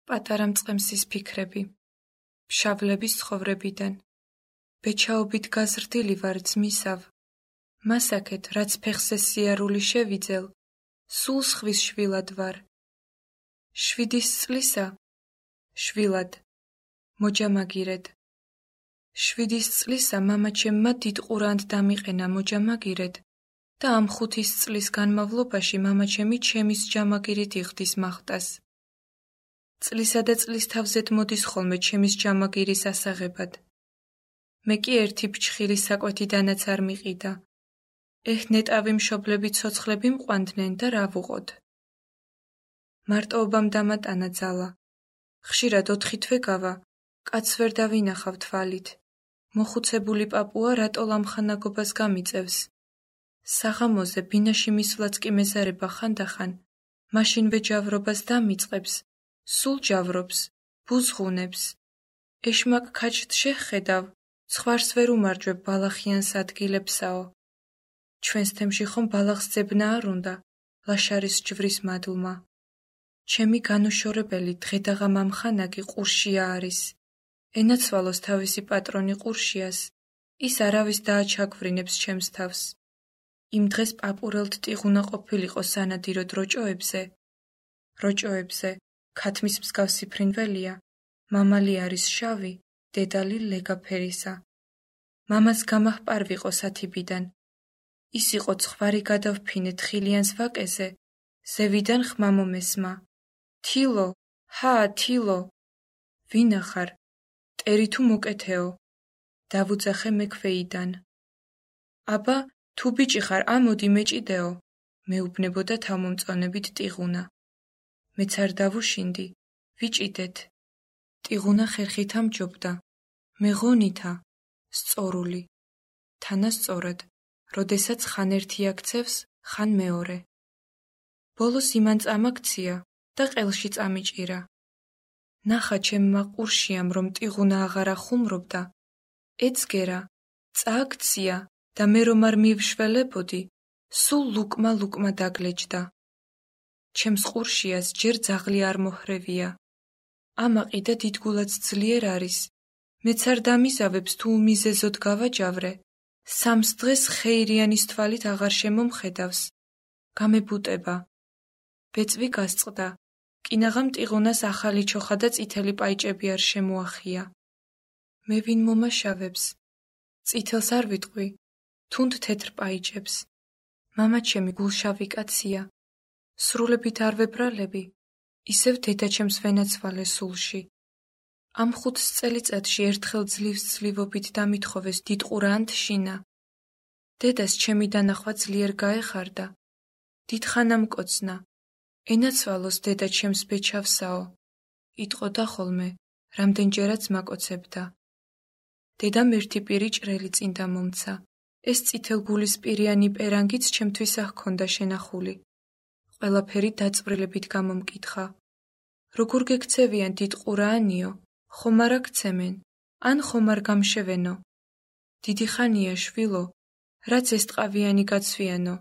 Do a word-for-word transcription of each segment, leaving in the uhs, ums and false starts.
პატარა მწყემსის ფიქრები, ფშავლების ცხოვრებიდან. ბეჩაობით გაზრდილი ვარ ძმისავ, მასაკეთ, რაც ფეხზე სიარული შევიძელ, სულ სხვის შვილად ვარ. შვიდის წლისა, შვილად, მოჯამაგირედ. შვიდის წლისა მამაჩემმა დიდ ყურანთ დამიყენა მოჯამაგირედ და ამ ხუთის წლის განმავლობაში მამაჩემი ჩემის ჯამაგირით იხდის მახტას. წლისა და წლის თავზედ მოდის ხოლმე ჩემის ჯამაგირის ასაღებად. მე კი ერთი ფჩხირი საკვეთიდანაც არ მიყიდა. ეჰ, ნეტავი მშობლები ცოცხლები მყვანდნენ და რა ვუყოდ. მარტოობამ დამატანა ძალა. ხშირად ოთხი თვე გავა, კაცს ვერ დავინახავ თვალით. მოხუცებული პაპუა რატო ლამხანაგობას გამიწევს. საღამოზე ბინაში მისვლაც კი მეზარება ხანდახან, მაშინვე ჯავრობას დამიწყებს, სულ ჯავრობს, ბუზღუნებს. ეშმაკ ქაჯთ შეხედავ, ცხვარს ვერ უმარჯვებ ბალახიანს ადგილებსაო. ჩვენს თემში ხომ ბალახს ძებნა არ უნდა, ლაშარის ჯვრის მადლმა. ჩემი განუშორებელი დღედაღა მამხანაგი ყურშია არის. ენაცვალოს თავისი პატრონი ყურშიას, ის არავის დააჩაგვრინებს ჩემს თავს. იმ დღეს პაპურელთ ტიღუნა ყოფილიყო სანადიროდ როჭოებზე. როჭოებზე, ქათმის მსგავსი ფრინველია, მამალი არის შავი, დედალი ლეგაფერისა. მამას გამაჰპარვიყო სათიბიდან. ის იყო ცხვარი გადავფინე თხილიანს ვაკეზე, ზევიდან ხმა მომესმა. თილო, ჰა, თილო. ვინა ხარ? ტერი თუ მოკეთეო? დავუძახე მექვეიდან. აბა, თუ ბიჭი ხარ, ამოდი მეჭიდეო, მეუბნებოდა თავმომწონებით ტიღუნა. მეც არ დავუშინდი, ვიჭიდეთ. ტიღუნა ხერხით ამჯობდა. მეღონითა, სწორული. თანასწორად, როდესაც ხან ერთი აქცევს, ხან მეორე. ბოლოს იმან წამაქცია და ყელში წამიჭირა. ნახა ჩემმა ყურშიამ, რომ ტიღუნა აღარ ახუმრობდა. ეცგერა, წააქცია და მე რომ არ მივშველებოდი, სულ ლუკმა ლუკმა დაგლეჯდა. ჩემს ყურშიას ჯერ ძაღლი არ მოჰრევია. ამაყი და დიდგულად ძლიერ არის. მეც არ დამიზავებს თუ უმიზეზოდ გავაჯავრე. სამს დღეს ხეირიანის თვალით აღარ შემომხედავს. გამებუტება. ბეწვი გასწყდა. კინაღამ ტიღუნას ახალი ჩოხა და წითელი პაიჭები არ შემოახია. მე ვინ მომაშავებს? წითელს არ ვიტყვი, თუნდ თეთრ პაიჭებს. მამაჩემი გულშავი კაცია. სრულებით არ ვებრალები, ისევ დედაჩემს ვენაცვალე სულში. ამ ხუთს წელიწადში ერთხელ ძლივს ძლივობით დამითხოვეს დიდ ყურანთ შინა. დედას ჩემი დანახვა ძლიერ გაეხარდა. დიდხანა მკოცნა. ენაცვალოს დედა ჩემს ბეჩავსაო. იტყოდა ხოლმე, რამდენჯერაც მაკოცებდა. დედამ ერთი პირი ჭრელი წინ დამომცა. ეს წითელგულისპირიანი პერანგიც ჩემთვის აჰქონდა შენახული. ყველაფერი დაწვრილებით გამომკითხა. როგორ გექცევიან დიდ ყურაანიო, ხომ არ აქცემენ, ან ხომ არ გამშევენო. დიდი ხანია შვილო, რაც ეს ტყავიანი გაცვიანო.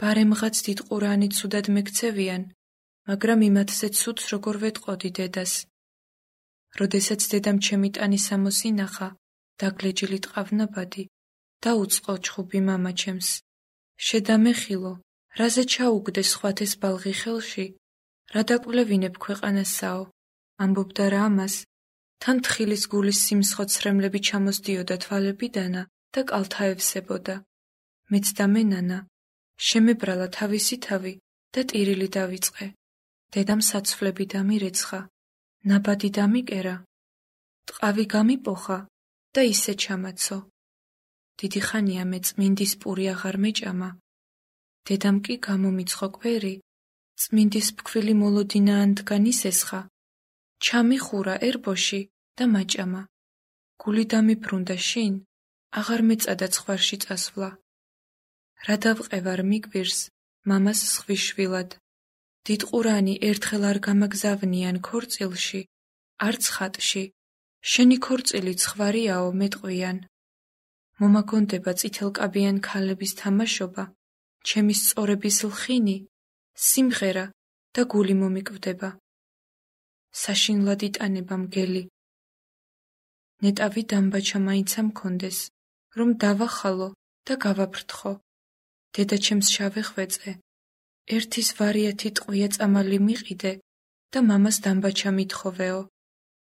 ბარემღაც დიდ ყურაანი ცუდად მეკცევიან, მაგრამ იმათზე ცუდს როგორ ვეტყოდი დედას. როდესაც დედამ ჩემი ტანი სამოსინახა, დაგლეჯილი ტყავნაბადი, დაუწყო ჩხუბი მამაჩემს. შედამეხილო, რაზე ჩაუგდე სხვათეს ბალღი ხელში, რა დაკვლევინებ ქვეყანასაო, ამბობდა რა ამას, თან თხილის გულის სიმსხოცრემლები ჩამოსდიოდა თვალებიდანა და კალთაევსებოდა. მეც დამენანა, შემებრალა თავისი თავი და ტირილი დავიწყე. დედამ საცვლები დამირეცხა, ნაბადი დამიკერა. ტყავი გამიპოხა და ისე ჩამაცო. დიდი ხანია მე წმინდის პური აღარ მეჭამა. დედამ კი გამომიცხო კვერი, წმინდის ფქვილი მოლოდინაანდგან ისესხა. ჩამიხურა ერბოში და მაჭამა. გული დამიბრუნდა შინ, აღარ მეწადა ცხვარში წასვლა. რა დავყევარ მიკვირს, მამას სხვის შვილად. დიდ ყურანი ერთხელ არ გამაგზავნიან ქორწილში, არც ხატში. შენი ქორწილი ცხვარიაო მეტყვიან. მომაგონდება წითელკაბიან ქალების თამაშობა, ჩემი სწორების ლხინი, სიმღერა და გული მომიკვდება. საშინლად იტანება მგელი. ნეტავი დამბაჩა მაინც ამქონდეს, რომ დავახალო და გავაფრთხო. დედაჩემს შავე ხვეწე. ერთის ვარიათი ტყვია წამალი მიყიდე და მამას დამბაჩა მithოვეო.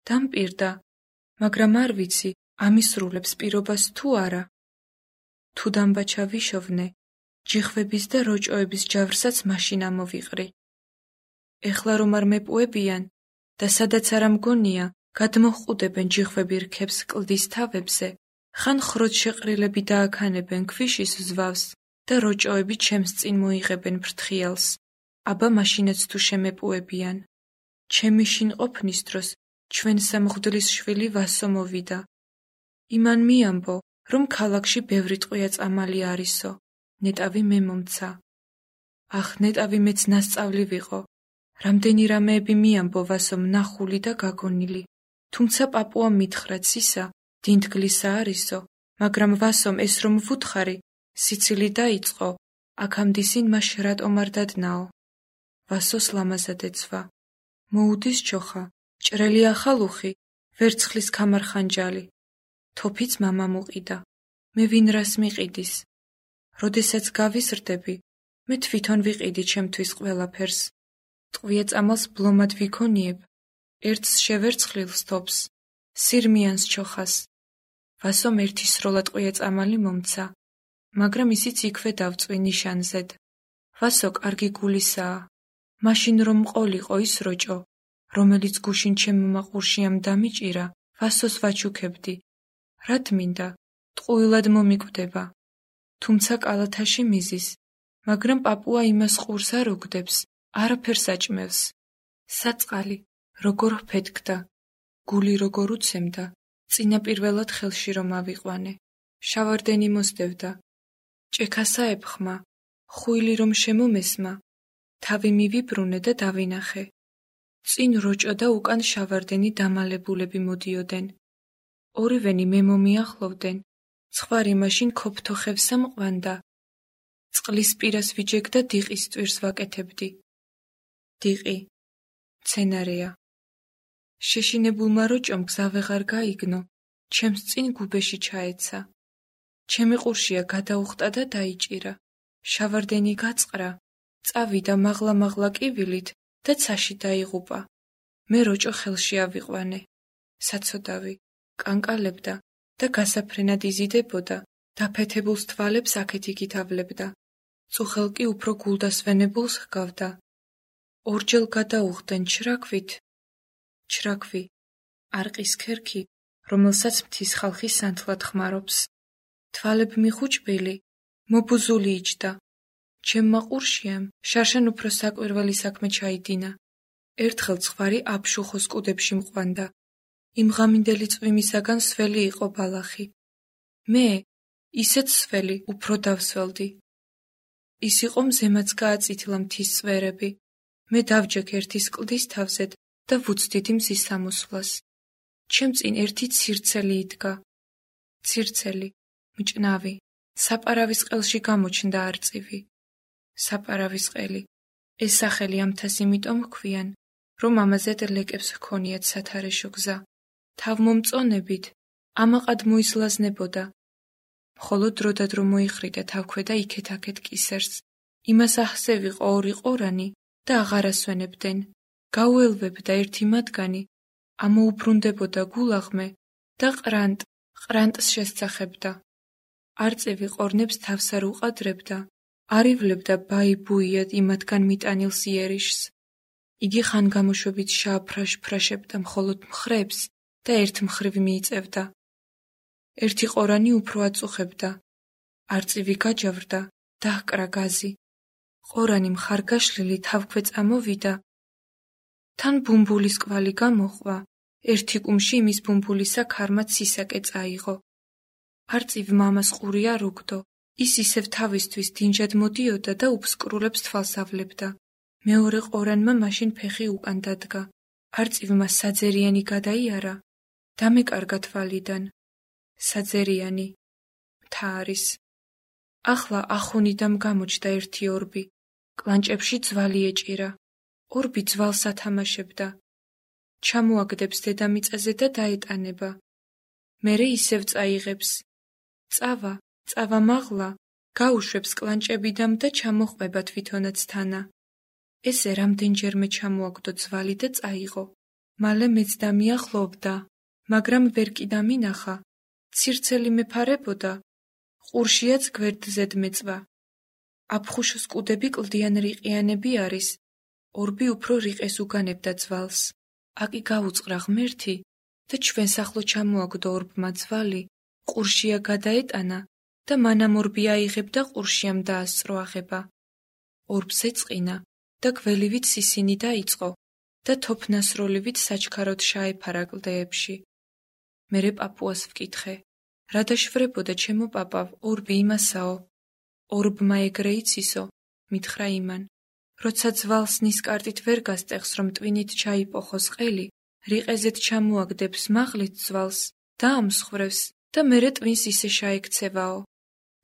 დამპირდა, მაგრამ არ ვიცი, ამისრულებს პირობას თუ არა. თუ დამბაჩა ვიშოვნე, ჯიხვების და როჭოების ჯავრსაც მაშინ ამოვიყრი. ეხლა რომ არ მეპუებიან და სადაც არ ამგონია, გადმოჰყუდებენ ჯიხვები რქებს კლდის თავებზე, ხან ხროც შეყრილები დააქანებენ ქვიშის ზვავს და როჭოები ჩემს წინ მოიღებენ ფრთხიალს, აბა მაშინაც თუ შემეპუებიან. ჩემი შინყოფნის დროს ჩვენსა მღვდლის შვილი ვასო მოვიდა. იმან მიამბო, რომ ქალაქში ბევრი ტყვია წამალი არისო. ნეტავი მე მომცა. ახ, ნეტავი მეც ნასწავლი ვიყო. რამდენი რამეები მიამბო ვასომ ნახული და გაგონილი. თუმცა პაპუამ მითხრა ცისა, დინდგლისა არისო, მაგრამ ვასომ ეს რომ ვუთხარი, სიცილი დაიწყო, აქამდისინ მაშ რატომ არ დადნაო. ვასოს ლამაზად ეცვა. მოუდის ჩოხა, ჭრელი ახალუხი, ვერცხლის ქამარხანჯალი. თოფიც მამა მუყიდა. მე ვინ რას მიყიდის? როდესაც გავიზრდები, მე თვითონ ვიყიდი ჩემთვის ყველაფერს. ტყვია წამალს ბლომად ვიქონიებ, ერთს შევერცხლილს თოფს, სირმიანს ჩოხას. ვასომ ერთი სროლა ტყვია წამალი მომცა, მაგრამ ისიც იქვე დავწვი ნიშანზედ. ვასო კარგი გულისაა, მაშინ რომ მყოლიყო ის როჭო, რომელიც გუშინ ჩემმა ყურშიამ დამიჭირა, ვასოს ვაჩუქებდი. რად მინდა, ტყუილად მომიკვდება. თუმცა კალათაში მიზის, მაგრამ პაპუა იმას ყურს არ უგდებს, არაფერს აჭმევს. საწყალი როგორ ფეთქდა, გული როგორ უცემდა, წინაპირველად ხელში რომ ავიყვანე. შავარდენი მოსდევდა. ჭექასა ეფხმა, ხუილი რომ შემომესმა, თავი მივიბრუნე და დავინახე. წინ როჭო და უკან შავარდენი დამალებულები მოდიოდნენ. ორივენი მე მომიახლოვდნენ, ცხვარი მაშინ ქოფთოხევსა მყვანდა. წყლის პირას ვიჯეგდა დიყის ტვირს ვაკეთებდი. დიყი, მცენარეა. შეშინებულმა როჭომ გზა ვეღარ გაიგნო, ჩემს წინ გუბეში ჩაეცა. ჩემი ყურშია გადაუხტა და დაიჭირა. შავარდენი გაწყრა, წავიდა მაღლა-მაღლა კივილით და ცაში დაიღუპა. მე როჭო ხელში ავიყვანე. საცოდავი, კანკალებდა და გასაფრენად იზიდებოდა, დაფეთებულს თვალებს აქეთ-იქით ავლებდა. წუხელ კი უფრო გულდასვენებულს ჰგავდა. ორჯერ გადაუხდნენ ჩრაქვით. ჩრაქვი, არყის ქერქი, რომელსაც მთის ხალხი სანთლად ხმარობს. თვალები მიხუჭბილი, მობუზული იჯდა. ჩემმა ყურშიამ შარშან უფრო საკვირველი საქმე ჩაიდინა. ერთხელ ცხვარი აბშუხოს კუდებში მყვანდა. იმ ღამინდელი წვიმისაგან სველი იყო ბალახი. მე, ისეთ სველი, უფრო დავსველდი. ის იყო მზემაც გააწითლა მთის წვერები. მე დავჯექ ერთის კლდის თავზედ და ვუცდიდი მზის სამოსვლას. ჩემ წინ ერთი ცირცელი იდგა. ცირცელი, მჭნავი, საპარავის ყელში გამოჩნდა არწივი. საპარავის ყელი, ეს სახელი ამთას იმიტომ ჰქვიან, რომ ამაზე ლეკებს ჰქონიათ სათარეშო გზა. თავმომწონებით, ამაყად მოისლაზნებოდა. მხოლოდ დროდადრო მოიხრიდა თავქვედა იქეთ-აქეთ კისერს. იმას ახსე ვიყო ორი ყორანი და აღარ ასვენებდნენ. გაუელვებდა ერთი მათგანი, ამოუბრუნდებოდა გულაღმე და ყრანტ, ყრანტს შესწახებდა. არწივი ყორნებს თავს არ უყადრებდა, არ ივლებდა ბაი-ბუიად იმათგან მიტანილს იერიშს. იგი ხანგამოშვებით შააფრაშ-ფრაშებდა მხოლოდ მხრებს და ერთ მხრივ მიიწევდა. ერთი ყორანი უფრო აწუხებდა. არწივი გაჯავრდა, დაჰკრა გაზი. ყორანი მხარგაშლილი თავქვე წამოვიდა. თან ბუმბულის კვალი გამოჰყვა. ერთი კუმში იმის ბუმბულისა ქარმა ცისაკე წაიღო. არწივ მამას ყური არ უგდო. ის ისევ თავისთვის დინჯად მოდიოდა და უფსკრულებს თვალს ავლებდა. მეორე ყორანმა მაშინ ფეხი უკან დადგა. არწივმა საძერიანი გადაიარა. დამეკარგა თვალიდან. საძერიანი, მთა არის. ახლა ახუნიდამ გამოჩნდა ერთი ორბი. კლანჭებში ძვალი ეჭირა. ორბი ძვალს ათამაშებდა. ჩამოაგდებს დედამიწაზე და დაეტანება. მერე ისევ წაიღებს. წავა, წავა მაღლა, გაუშვებს კლანჭებიდამ და ჩამოყვება თვითონაც თანა. ესე რამდენჯერმე ჩამოაგდო ძვალი და წაიღო. მალე მეც დამიახლოვდა, მაგრამ ვერ კი დამინახა. ცირცელი მეფარებოდა, ყურშიაც გვერდზედ მეწვა. აფხუშოს კუდები კლდიან რიყიანები არის, ორბი უფრო რიყეს უგანებდა ძვალს. აკი გაუწყრა ღმერთი და ჩვენს ახლო ჩამოაგდო ორბმა ძვალი, ყურშია გადაეტანა და მანამ ორბი აიღებდა ყურშიამ დაასწრო აღება. ორბს ეწყინა და გველივით სისინი დაიწყო და თოფნასროლივით საჩქაროდ შაეფარა კლდეებში. მერე პაპუას ვკითხე, რა დაშვრებოდა ჩემო პაპავ, ორბი იმასაო. ორბმა ეგრე იცისო, მითხრა იმან, როცა ძვალს ნისკარტით ვერ გასტეხს, რომ ტვინით ჩაიპოხოს ყელი, რიყეზეთ ჩამოაგდებს მაღლით ძვალს და ამსხვრევს და მერე ტვინს ისე შაექცევაო.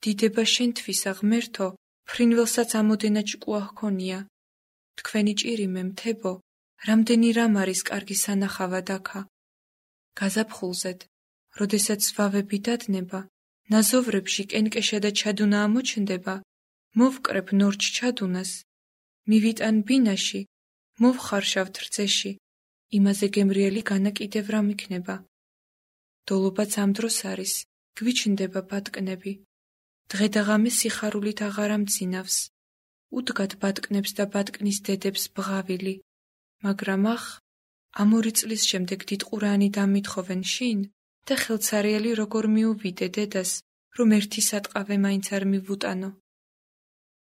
დიდება შენთვისა ღმერთო, ფრინველსაც ამოდენა ჭკუა ჰქონია. თქვენი ჭირიმე მთებო, რამდენი რამ არის კარგი სანახავად აქა. გაზაფხულზეთ, როდესაც ზვავები დადნება, ნაზოვრებში კენკეშა და ჩადუნა ამოჩნდება, მოვკრებ ნორჩ ჩადუნას, მივიტან ბინაში, მოვხარშავთ რძეში, იმაზე გემრიელი განა კიდევ რამ იქნება. დოლობაც ამ დროს არის, გვიჩნდება ბატკნები. დღე და ღამე სიხარულით აღარ ამძინავს. უდგათ ბატკნებს და ბატკნის დედებს ბღავილი. მაგრამ ახ, ამ ორი წლის შემდეგ დიდყურანი დამითხოვენ შინ და ხელცარიელი როგორ მიუვიდე დედას, რომ ერთი სატყავე მაინც არ მივუტანო.